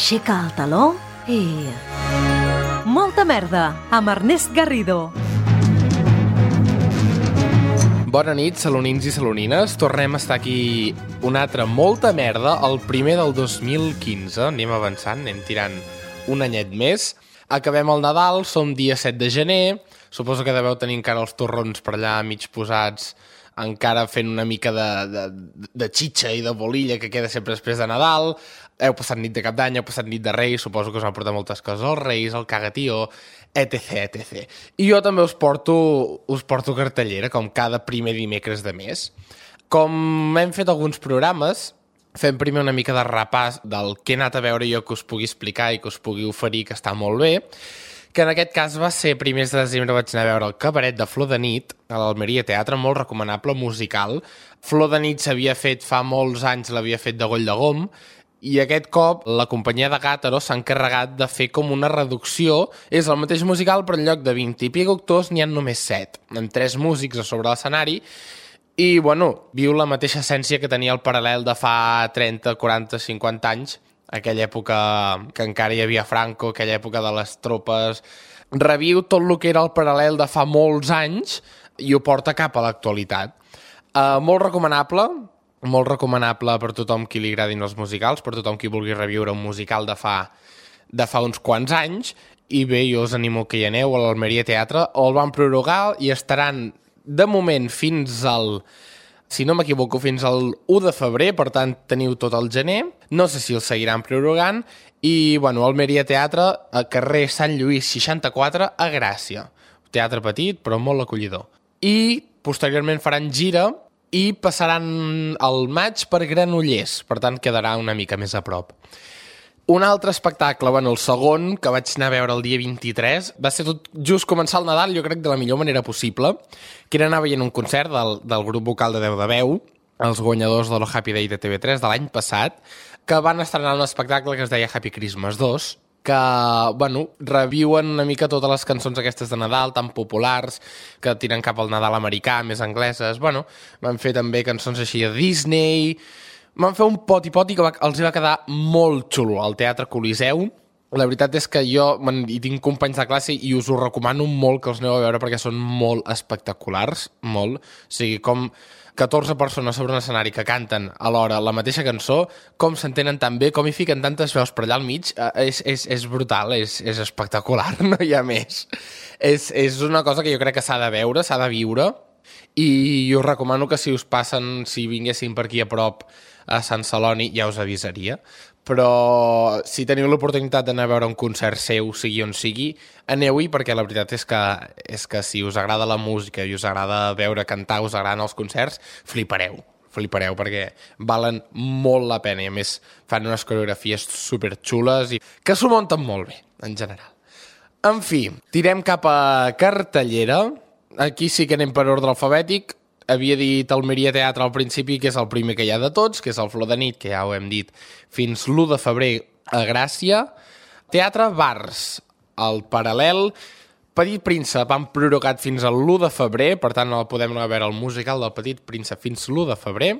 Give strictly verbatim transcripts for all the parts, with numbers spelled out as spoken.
aixeca el taló i... Molta merda, amb Ernest Garrido. Bona nit, salonins i salonines. Tornem a estar aquí una altra molta merda, el primer del dos mil quinze. Anem avançant, anem tirant un anyet més. Acabem el Nadal, som dia set de gener. Suposo que deveu tenir encara els torrons per allà mig posats, encara fent una mica de, de, de xitxa i de bolilla que queda sempre després de Nadal. Heu passat nit de Cap d'Any, heu passat nit de Reis, suposo que us han portat moltes coses, els Reis, el cagatió, etc, etcètera. I jo també us porto, us porto cartellera, com cada primer dimecres de mes. Com hem fet alguns programes, fem primer una mica de repàs del que he anat a veure jo que us pugui explicar i que us pugui oferir, que està molt bé, que en aquest cas va ser primers de desembre, vaig anar a veure el Cabaret de Flor de Nit a l'Almeria Teatre, molt recomanable, musical. Flor de Nit s'havia fet fa molts anys, l'havia fet de Goll de Gom, i aquest cop la companyia de Gàtaro s'ha encarregat de fer com una reducció. És el mateix musical, però en lloc de vint i pico actors n'hi ha només set, amb tres músics a sobre l'escenari, i bueno, viu la mateixa essència que tenia el paral·lel de fa trenta, quaranta, cinquanta anys, aquella època que encara hi havia Franco, aquella època de les tropes. Reviu tot el que era el paral·lel de fa molts anys i ho porta cap a l'actualitat. Uh, molt recomanable, molt recomanable per tothom qui li agradin els musicals, per tothom qui vulgui reviure un musical de fa, de fa uns quants anys, i bé, jo us animo que hi aneu a l'Almeria Teatre, o el van prorrogar i estaran de moment fins al, si no m'equivoco, fins al u de febrer, per tant teniu tot el gener, no sé si el seguiran prorrogant, i bueno, Almeria Teatre, a carrer Sant Lluís seixanta-quatre, a Gràcia. Teatre petit, però molt acollidor. I posteriorment faran gira, i passaran el maig per Granollers, per tant quedarà una mica més a prop. Un altre espectacle, bueno, el segon, que vaig anar a veure el dia vint-i-tres, va ser tot just començar el Nadal, jo crec de la millor manera possible, que era anar veient un concert del, del grup vocal de Déu de Veu, els guanyadors de lo Happy Day de T V tres de l'any passat, que van estrenar un espectacle que es deia Happy Christmas dos, que, bueno, reviuen una mica totes les cançons aquestes de Nadal, tan populars, que tiren cap al Nadal americà, més angleses. Bueno, van fer també cançons així de Disney, van fer un poti-poti que va, els va quedar molt xulo al Teatre Coliseu. La veritat és que jo hi tinc companys de classe i us ho recomano molt que els aneu a veure perquè són molt espectaculars, molt. O sigui, com catorze persones sobre un escenari que canten alhora la mateixa cançó, com s'entenen tan bé, com hi fiquen tantes veus per allà al mig, és, és, és brutal, és, és espectacular, no hi ha més. És, és una cosa que jo crec que s'ha de veure, s'ha de viure, i us recomano que si us passen, si vinguessin per aquí a prop a Sant Celoni, ja us avisaria. Però si teniu l'oportunitat d'anar a veure un concert seu, sigui on sigui, aneu-hi, perquè la veritat és que, és que si us agrada la música i us agrada veure cantar, us agraden els concerts, flipareu, flipareu, perquè valen molt la pena, i a més fan unes coreografies superxules i que s'ho munten molt bé, en general. En fi, tirem cap a cartellera. Aquí sí que anem per ordre alfabètic. Havia dit Almeria Teatre al principi, que és el primer que hi ha de tots, que és el Flor de Nit, que ja ho hem dit, fins l'u de febrer a Gràcia. Teatre Bars, el paral·lel. Petit Príncep han prorrogat fins a l'u de febrer, per tant no podem anar a veure el musical del Petit Príncep fins l'u de febrer.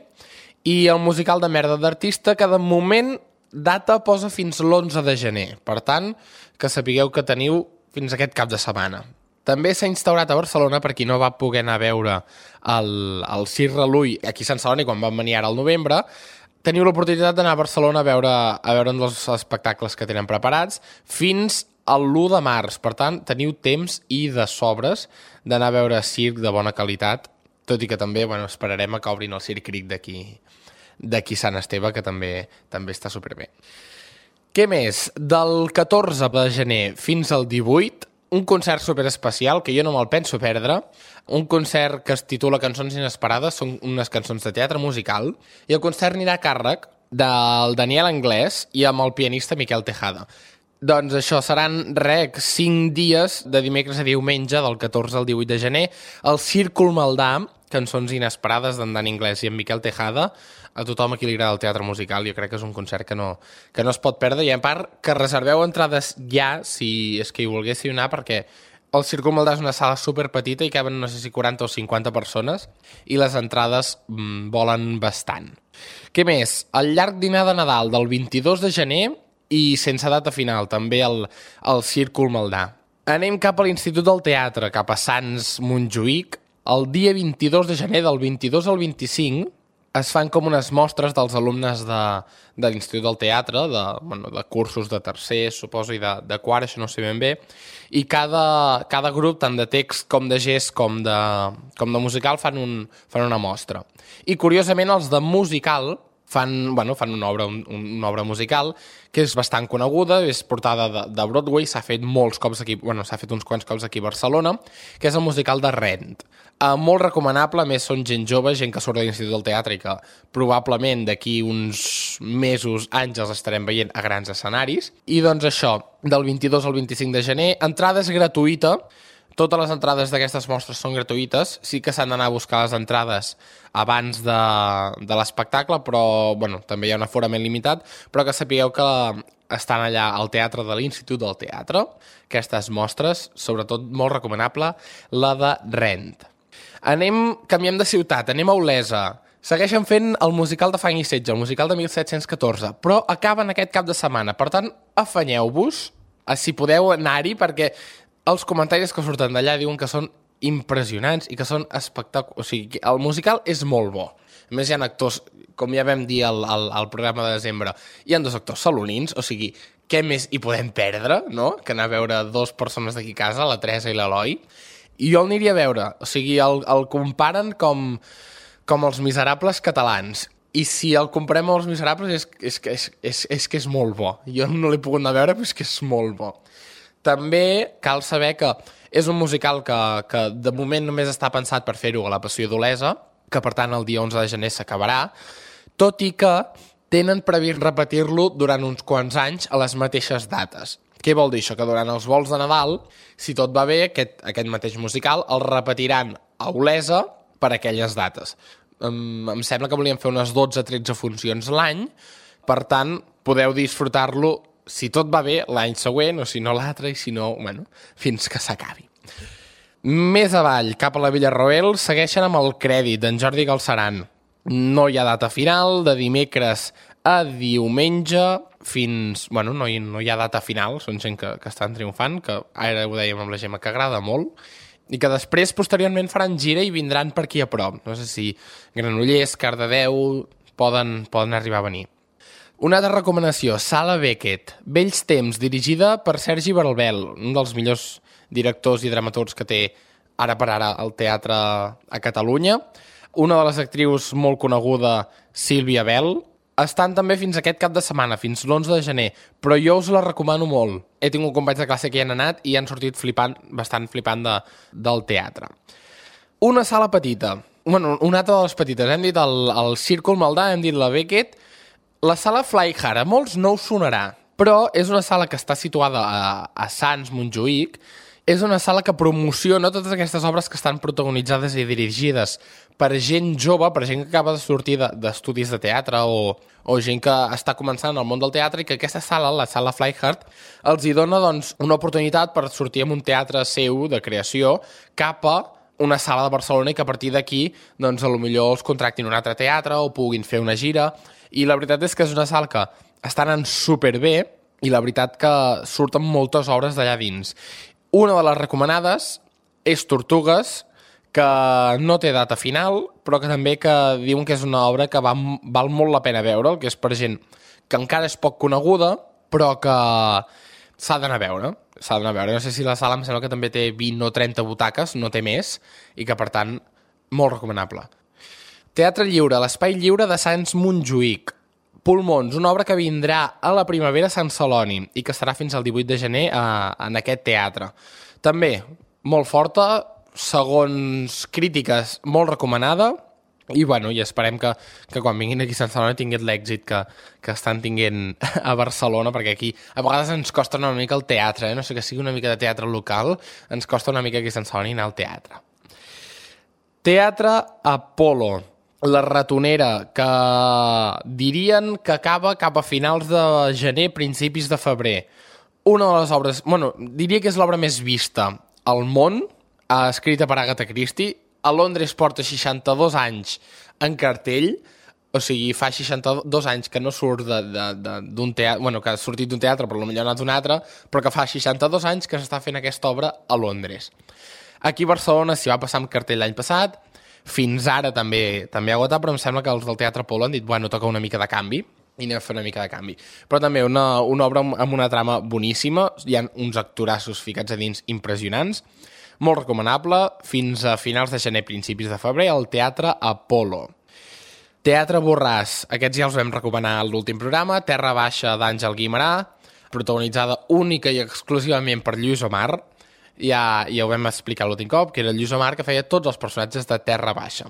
I el musical de merda d'artista, que de moment data posa fins l'onze de gener. Per tant, que sapigueu que teniu fins aquest cap de setmana. També s'ha instaurat a Barcelona, per qui no va poder anar a veure el, el Circ Relull aquí a Sant Celoni quan van venir ara al novembre, teniu l'oportunitat d'anar a Barcelona a veure, a veure un dels espectacles que tenen preparats fins a l'u de març. Per tant, teniu temps i de sobres d'anar a veure circ de bona qualitat, tot i que també bueno, esperarem a que obrin el Circ Cric d'aquí d'aquí Sant Esteve, que també, també està superbé. Què més? Del catorze de gener fins al divuit, un concert superespecial que jo no me'l penso perdre, un concert que es titula Cançons Inesperades, són unes cançons de teatre musical, i el concert anirà a càrrec del Daniel Anglès i amb el pianista Miquel Tejada. Doncs això, seran rec cinc dies de dimecres a diumenge, del catorze al divuit de gener, al Círcul Maldà, cançons inesperades d'en Dani Anglès i en Miquel Tejada. A tothom a qui li agrada el teatre musical, jo crec que és un concert que no, que no es pot perdre, i a part que reserveu entrades ja, si és que hi volguéssiu anar, perquè el Círcul Maldà és una sala superpetita i caben no sé si quaranta o cinquanta persones, i les entrades mmm, volen bastant. Què més? El llarg dinar de Nadal del vint-i-dos de gener i sense data final, també el, el Círcul Maldà. Anem cap a l'Institut del Teatre, cap a Sants Montjuïc. El dia vint-i-dos de gener, del vint-i-dos al vint-i-cinc, es fan com unes mostres dels alumnes de, de l'Institut del Teatre, de, bueno, de cursos de tercer, suposo, i de, de quart, això no sé ben bé, i cada, cada grup, tant de text com de gest com de, com de musical, fan, un, fan una mostra. I, curiosament, els de musical fan, bueno, fan una obra, un, una obra musical que és bastant coneguda, és portada de, de Broadway, s'ha fet molts cops aquí, bueno, s'ha fet uns quants cops aquí a Barcelona, que és el musical de Rent. Uh, molt recomanable, a més són gent jove, gent que surt de l'Institut del Teatre i que probablement d'aquí uns mesos, anys els estarem veient a grans escenaris. I doncs això, del vint-i-dos al vint-i-cinc de gener, entrada és gratuïta. Totes les entrades d'aquestes mostres són gratuïtes, sí que s'han d'anar a buscar les entrades abans de, de l'espectacle, però bueno, també hi ha un aforament limitat, però que sapigueu que estan allà al teatre de l'Institut del Teatre, aquestes mostres, sobretot molt recomanable, la de Rent. Anem, canviem de ciutat, anem a Olesa. Segueixen fent el musical de Fang i Setge, el musical de mil set-cents catorze, però acaben aquest cap de setmana, per tant, afanyeu-vos, si podeu anar-hi, perquè els comentaris que surten d'allà diuen que són impressionants i que són espectaculars. O sigui, el musical és molt bo. A més, hi ha actors, com ja vam dir al, al, al programa de desembre, hi ha dos actors salonins, o sigui, què més hi podem perdre, no?, que anar a veure dos persones d'aquí a casa, la Teresa i l'Eloi. I jo el aniria a veure. O sigui, el, el comparen com, com els Miserables catalans. I si el comparem amb els Miserables és, és, és, és, és que és molt bo. Jo no l'he pogut anar a veure, però és que és molt bo. També cal saber que és un musical que, que de moment només està pensat per fer-ho a la Passió d'Olesa, que per tant el dia onze de gener s'acabarà, tot i que tenen previst repetir-lo durant uns quants anys a les mateixes dates. Què vol dir això? Que durant els vols de Nadal, si tot va bé, aquest, aquest mateix musical el repetiran a Olesa per aquelles dates. Em, em sembla que volien fer unes dotze o tretze funcions l'any, per tant, podeu disfrutar-lo si tot va bé, l'any següent, o si no l'altre, i si no, bueno, fins que s'acabi. Més avall, cap a la Villarroel, segueixen amb el crèdit d'en Jordi Galceran. No hi ha data final, de dimecres a diumenge, fins... Bueno, no hi, no hi ha data final, són gent que, que estan triomfant, que ara ho dèiem amb la Gemma, que agrada molt, i que després, posteriorment, faran gira i vindran per aquí a prop. No sé si Granollers, Cardedeu, poden, poden arribar a venir. Una altra recomanació, Sala Beckett, Vells temps, dirigida per Sergi Baralbel, un dels millors directors i dramaturgs que té ara per ara el teatre a Catalunya. Una de les actrius molt coneguda, Sílvia Bell. Estan també fins aquest cap de setmana, fins l'onze de gener, però jo us la recomano molt. He tingut companys de classe que hi han anat i han sortit flipant, bastant flipant de, del teatre. Una sala petita, bueno, una altra de les petites, hem dit el, el Círcul Maldà, hem dit la Beckett. La sala Fly Hard, a molts no us sonarà, però és una sala que està situada a, a Sants Montjuïc. És una sala que promociona totes aquestes obres que estan protagonitzades i dirigides per gent jove, per gent que acaba de sortir d'estudis de, de teatre o, o gent que està començant al món del teatre, i que aquesta sala, la sala Fly Hard, els hi dona doncs, una oportunitat per sortir en un teatre seu de creació cap a una sala de Barcelona, i que a partir d'aquí doncs, a lo millor els contractin un altre teatre o puguin fer una gira. I la veritat és que és una sala que està anant superbé, i la veritat que surten moltes obres d'allà dins. Una de les recomanades és Tortugues, que no té data final, però que també que diuen que és una obra que va, val molt la pena veure'l, que és per gent que encara és poc coneguda, però que s'ha d'anar a veure. S'ha d'anar a veure. No sé si la sala em sembla que també té vint o trenta butaques, no té més, i que per tant, molt recomanable. Teatre Lliure, l'Espai Lliure de Sants Montjuïc. Pulmons, una obra que vindrà a la primavera a Sant Celoni i que estarà fins al divuit de gener a, en aquest teatre. També molt forta, segons crítiques, molt recomanada, i bueno, i esperem que, que quan vinguin aquí a Sant Celoni tinguin l'èxit que, que estan tinguent a Barcelona, perquè aquí a vegades ens costa una mica el teatre, eh? No sé que sigui una mica de teatre local, ens costa una mica aquí a Sant Celoni anar al teatre. Teatre Apolo. La Ratonera, que dirien que acaba cap a finals de gener, principis de febrer. Una de les obres, bueno, diria que és l'obra més vista al món, escrita per Agatha Christie. A Londres porta seixanta-dos anys en cartell. O sigui, fa seixanta-dos anys que no surt d'un teatre, bueno, que ha sortit d'un teatre, però potser ha anat d'un altre, però que fa seixanta-dos anys que s'està fent aquesta obra a Londres. Aquí a Barcelona s'hi va passar amb cartell l'any passat, fins ara també també ha agotat, però em sembla que els del Teatre Apol·lo han dit, bueno, toca una mica de canvi, i anem a fer una mica de canvi. Però també una, una obra amb una trama boníssima, hi ha uns actorassos ficats a dins impressionants, molt recomanable, fins a finals de gener, principis de febrer, al Teatre Apol·lo. Teatre Borràs, aquests ja els vam recomanar a l'últim programa, Terra Baixa d'Àngel Guimerà, protagonitzada única i exclusivament per Lluís Omar, ja, ja ho vam explicar l'últim cop, que era Lluís Omar que feia tots els personatges de Terra Baixa.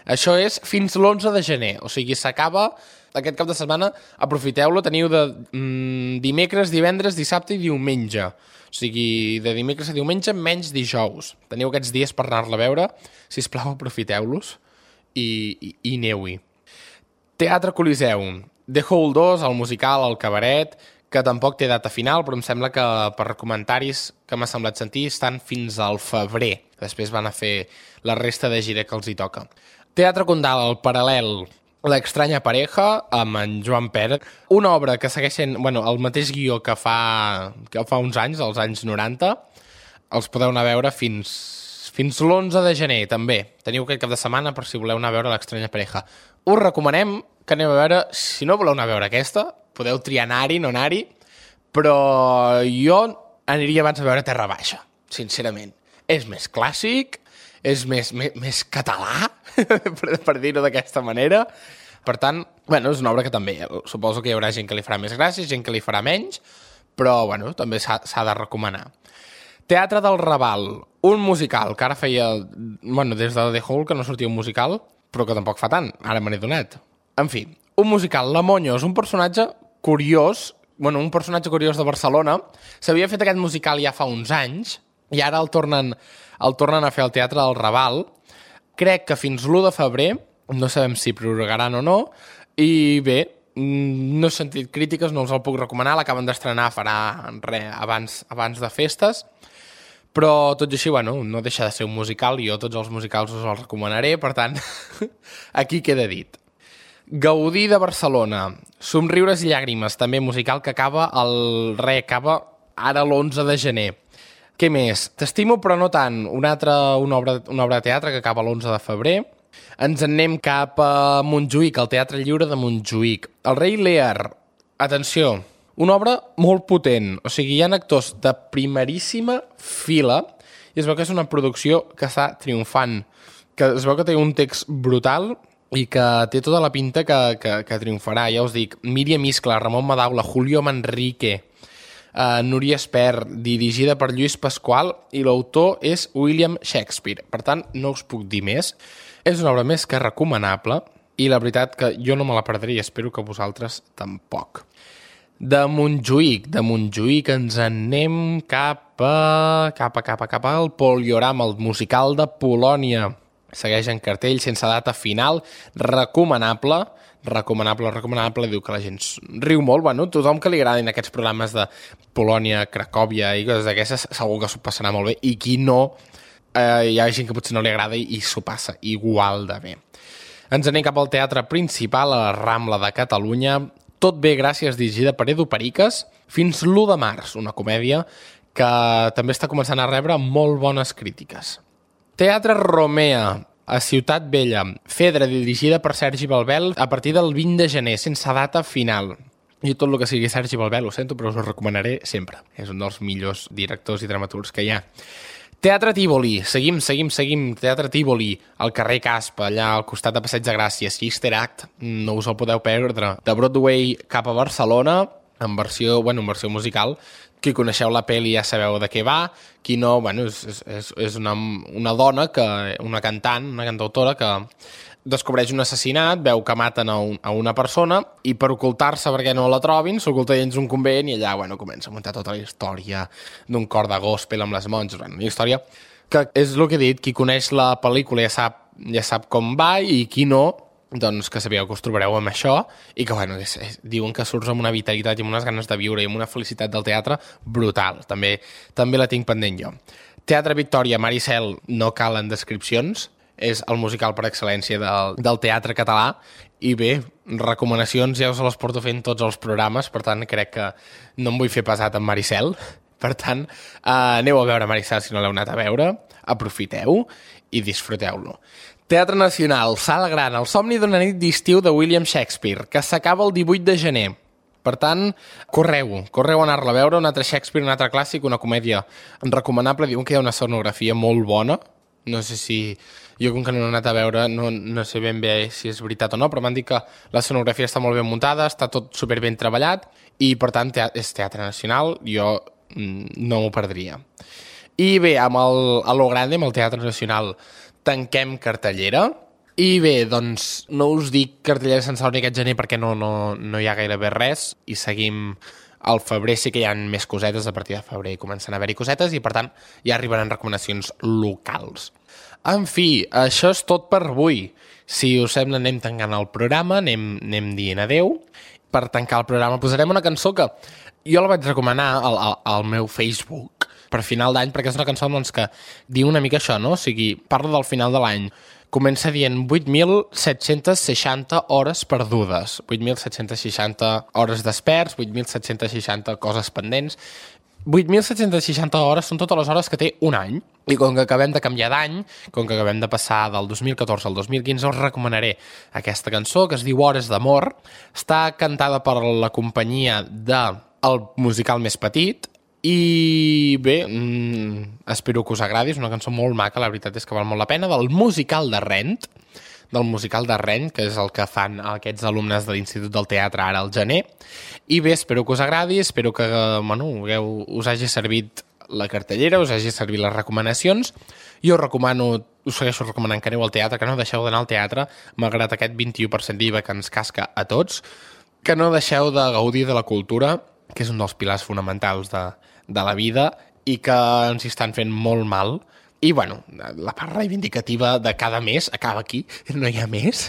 Això és fins l'onze de gener, o sigui, s'acaba aquest cap de setmana, aprofiteu-lo, teniu de mm, dimecres, divendres, dissabte i diumenge. O sigui, de dimecres a diumenge menys dijous. Teniu aquests dies per anar-la a veure, sisplau, aprofiteu-los i, i, i aneu-hi. Teatre Coliseum, The Hole dos, el musical, el cabaret, que tampoc té data final, però em sembla que per comentaris que m'ha semblat sentir estan fins al febrer. Després van a fer la resta de gira que els hi toca. Teatre Condal, el paral·lel, L'extranya pareja, amb en Joan Pérez, una obra que segueix sent, bueno, el mateix guió que fa, que fa uns anys, als anys noranta, els podeu anar a veure fins, fins l'onze de gener, també. Teniu aquest cap de setmana per si voleu anar a veure L'extranya pareja. Us recomanem que aneu a veure, si no voleu anar a veure aquesta, podeu triar anar-hi, no anar-hi, però jo aniria abans a veure Terra Baixa, sincerament. És més clàssic, és més, més, més català, per, per dir-ho d'aquesta manera. Per tant, bueno, és una obra que també, suposo que hi haurà gent que li farà més gràcia, gent que li farà menys, però bueno, també s'ha de recomanar. Teatre del Raval, un musical, que ara feia, bueno, des de The Hole que no sortia un musical, però que tampoc fa tant, ara me n'he donat. En fi, un musical, La Monyo, és un personatge curiós, bueno, un personatge curiós de Barcelona, s'havia fet aquest musical ja fa uns anys, i ara el tornen, el tornen a fer al Teatre del Raval. Crec que fins l'u de febrer, no sabem si prorrogaran o no, i bé, no he sentit crítiques, no us el puc recomanar, l'acaben d'estrenar farà res abans, abans de festes, però tot i així, bueno, no deixa de ser un musical, i jo tots els musicals us els recomanaré, per tant, aquí queda dit. Gaudí de Barcelona, Somriures i llàgrimes, també musical que acaba, el re acaba ara l'onze de gener. Què més? T'estimo però no tant, una altra una obra, una obra de teatre que acaba l'onze de febrer. Ens en anem cap a Montjuïc, al Teatre Lliure de Montjuïc. El rei Lear, atenció, una obra molt potent, o sigui, hi ha actors de primeríssima fila i es veu que és una producció que està triomfant, que es veu que té un text brutal i que té tota la pinta que, que, que triomfarà. Ja us dic, Míriam Iscla, Ramon Madaula, Julio Manrique, Uh, Núria Espert, dirigida per Lluís Pasqual, i l'autor és William Shakespeare. Per tant, no us puc dir més. És una obra més que recomanable i la veritat que jo no me la perdré i espero que vosaltres tampoc. De Montjuïc, de Montjuïc ens anem cap a... cap a, cap a, cap al Poliorama, el musical de Polònia. Segueix en cartell, sense data final, recomanable, recomanable, recomanable, diu que la gent riu molt, bueno, tothom que li agradin aquests programes de Polònia, Cracòvia i coses d'aquestes, segur que s'ho passarà molt bé, i qui no, eh, hi ha gent que potser no li agrada i, i s'ho passa igual de bé. Ens anem cap al teatre principal, a la Rambla de Catalunya, Tot bé, gràcies, dirigida per Edu Periques, fins l'u de març, una comèdia que també està començant a rebre molt bones crítiques. Teatre Romea, a Ciutat Vella, Fedra, dirigida per Sergi Balbel, a partir del vint de gener, sense data final. I tot el que sigui Sergi Balbel, ho sento, però us ho recomanaré sempre. És un dels millors directors i dramaturgs que hi ha. Teatre Tívoli, seguim, seguim, seguim, Teatre Tívoli, al carrer Caspa, allà al costat de Passeig de Gràcia, Sister Act, no us el podeu perdre. De Broadway cap a Barcelona, en versió, bueno, en versió musical. Qui coneixeu la pel·li ja sabeu de què va, qui no, bueno, és, és, és una, una dona, que, una cantant, una cantautora que descobreix un assassinat, veu que maten a, un, a una persona i per ocultar-se perquè no la trobin s'oculta dins un convent i allà, bueno, comença a muntar tota la història d'un cor de gospel amb les monges, bueno, una història que és el que he dit, qui coneix la pel·lícula ja sap, ja sap com va i qui no, doncs que sabíeu que us trobareu amb això i que, bueno, és, és, diuen que surts amb una vitalitat i amb unes ganes de viure i amb una felicitat del teatre brutal. També, també la tinc pendent jo. Teatre Victòria, Maricel, no calen descripcions. és el musical per excel·lència del, del teatre català, i bé, recomanacions ja us les porto fent tots els programes, per tant crec que no em vull fer pesat amb Maricel, per tant eh, aneu a veure Maricel si no l'heu anat a veure, aprofiteu i disfruteu-lo. Teatre Nacional, Sala Gran, El somni d'una nit d'estiu de William Shakespeare, que s'acaba el divuit de gener. Per tant, correu, correu a anar-la a veure, un altre Shakespeare, un altre clàssic, una comèdia recomanable. Diuen que hi ha una sonografia molt bona. No sé si... Jo, com que no he anat a veure, no, no sé ben bé si és veritat o no, però m'han dit que la sonografia està molt ben muntada, està tot super ben treballat, i per tant te és Teatre Nacional, jo mm, no m'ho perdria. I bé, amb el, a lo grande, amb el Teatre Nacional, tanquem cartellera. I bé, doncs no us dic cartellera sense l'únic aquest gener perquè no, no, no hi ha gairebé res i seguim al febrer, sí que hi ha més cosetes, a partir de febrer comencen a haver-hi cosetes i per tant ja arribaran recomanacions locals. En fi, això és tot per avui. Si us sembla anem tancant el programa, anem, anem dient adeu. Per tancar el programa posarem una cançó que jo la vaig recomanar al, al, al meu Facebook per final d'any perquè és una cançó doncs, que diu una mica això, no? O sigui, parla del final de l'any. Comença dient vuit mil set-cents seixanta hores perdudes, vuit mil set-cents seixanta hores desperts, vuit mil set-cents seixanta coses pendents. vuit mil set-cents seixanta hores són totes les hores que té un any. I com que acabem de canviar d'any, com que acabem de passar del dos mil catorze al dos mil quinze, us recomanaré aquesta cançó que es diu Hores d'amor. Està cantada per la companyia del musical més petit. I bé, mmm, espero que us agradi, és una cançó molt maca, la veritat és que val molt la pena, del musical de Rent, del musical de Rent, que és el que fan aquests alumnes de l'Institut del Teatre ara al gener. I bé, espero que us agradi, espero que bueno, us hagi servit la cartellera, us hagi servit les recomanacions. Jo us recomano, us segueixo recomanant que aneu al teatre, que no deixeu d'anar al teatre, malgrat aquest vint-i-u per cent d'I V A que ens casca a tots, que no deixeu de gaudir de la cultura, que és un dels pilars fonamentals de, de la vida i que ens hi estan fent molt mal. I, bueno, la part reivindicativa de cada mes acaba aquí, no hi ha més.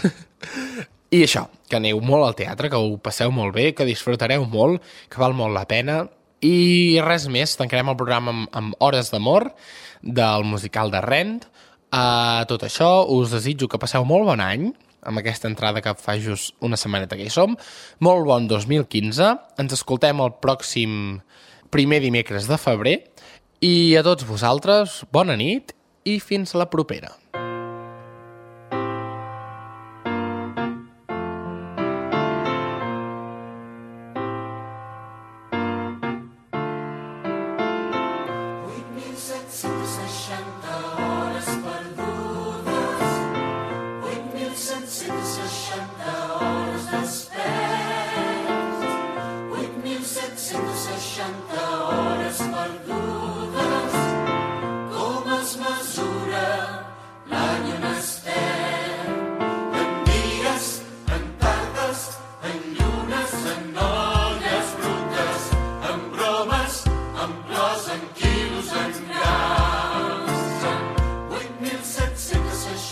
I això, que aneu molt al teatre, que ho passeu molt bé, que disfrutareu molt, que val molt la pena. I res més, tancarem el programa amb, amb Hores d'amor del musical de Rent. A tot això, us desitjo que passeu molt bon any, amb aquesta entrada que fa just una setmaneta que hi som. Molt bon dos mil quinze. Ens escoltem el pròxim primer dimecres de febrer. I a tots vosaltres, bona nit i fins la propera.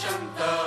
Santa